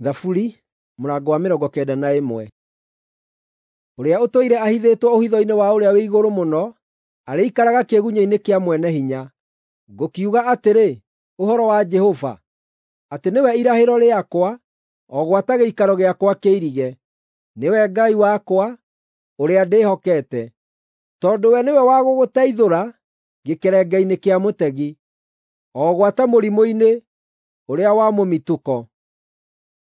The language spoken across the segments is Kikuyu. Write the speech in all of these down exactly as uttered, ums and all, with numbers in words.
Thaburi mũrango wa mĩrongo kenda na ĩmwe. Ũrĩa ũtũire ahithĩtwo ũhitho-inĩ wa Ũrĩa-wĩ-Igũrũ-Mũno arĩikaraga kĩĩgunyĩ-inĩ kĩa Mwene-Hinya. Ngũkiuga atĩrĩ ũhoro wa Jehova, atĩ nĩwe irahĩro rĩakwa, o gwata gĩikaro gĩakwa kĩirige; nĩwe Ngai wakwa, ũrĩa ndĩhokete. Tondũ we nĩwe wa gũgũteithũra gĩkerenge-inĩ kĩa mũtegi, o gwata mũrimũ-inĩ ũrĩa wa mũmitũko.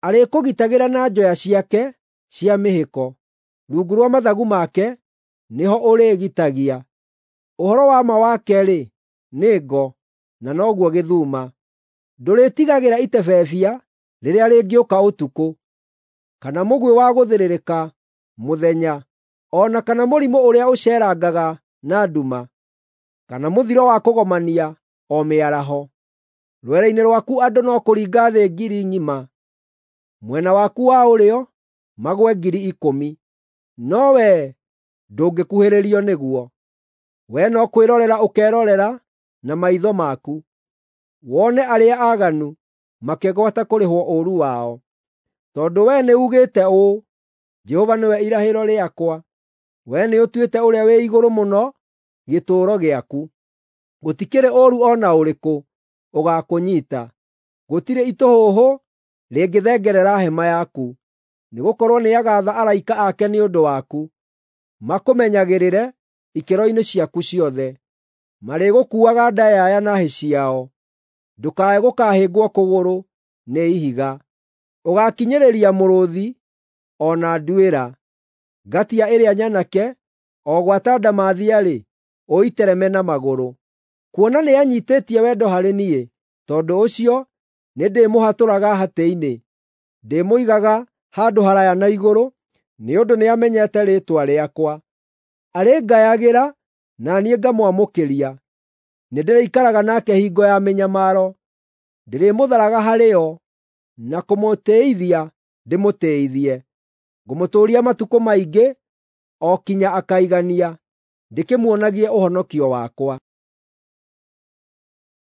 Arĩkũgitagĩra na njoya ciake cia mĩhĩko; rungu rwa mathagu make nĩho ũrĩĩgitagia. Ũhoro wa ma wake-rĩ, nĩ ngo, na noguo gĩthuma. Ndũrĩĩtigagĩra itebebia rĩrĩa rĩngĩũka ũtukũ, kana mũguĩ wa gũthĩrĩrĩka mũthenya, o na kana mũrimũ ũrĩa ũceerangaga na nduma, kana mũthiro wa kũgomania o mĩaraho. Rwere-inĩ rwaku andũ no kũringa thĩ ngiri ng'ima, mwena waku wa ũrĩo magũe ngiri ikũmi, no wee ndũngĩkuhĩrĩrio nĩguo. Wee no kwĩrorera ũkerorera na maitho maku, wone arĩa aaganu makĩgwata kũrĩhwo ũũru wao. Tondũ wee nĩuugĩte ũũ, “Jehova nĩwe irahĩro rĩakwa,” wee nĩũtuĩte Ũrĩa-wĩ-Igũrũ-Mũno gĩtũũro gĩaku. Gũtikĩrĩ ũũru o na ũrĩkũ ũgaakũnyiita, gũtirĩ itũhũhũ rĩngĩthengerera hema yaku. Nĩgũkorwo nĩagaatha araika ake nĩ ũndũ waku, makũmenyagĩrĩre ikĩro-inĩ ciaku ciothe. Marĩgũkuuaga ndayaya na hĩ ciao, ndũkae gũkahĩngwo kũgũrũ nĩ ihiga. Ũgaakinyĩrĩria mũrũũthi o na nduĩra; ngatia ĩrĩa nyanake, o gwata ndamathia-rĩ, ũitereme na magũrũ. Kuona nĩanyiitĩtie wendo harĩ niĩ, tondũ ũcio nĩndĩmũhatũraga hatĩ-inĩ. Ndĩmũigaga handũ haraaya na igũrũ, nĩ ũndũ nĩamenyete rĩĩtwa rĩakwa. Arĩngayagĩra na niĩ ngamwamũkĩria; nĩndĩrĩikaraga nake hingo ya mĩnyamaro, ndĩrĩmũtharaga harĩ yo, na kũmũtĩĩithia ndĩmũtĩĩithie. Ngũmũtũũria matukũ maingĩ o kinya akaigania, ndĩkĩmuonagie ũhonokio wakwa.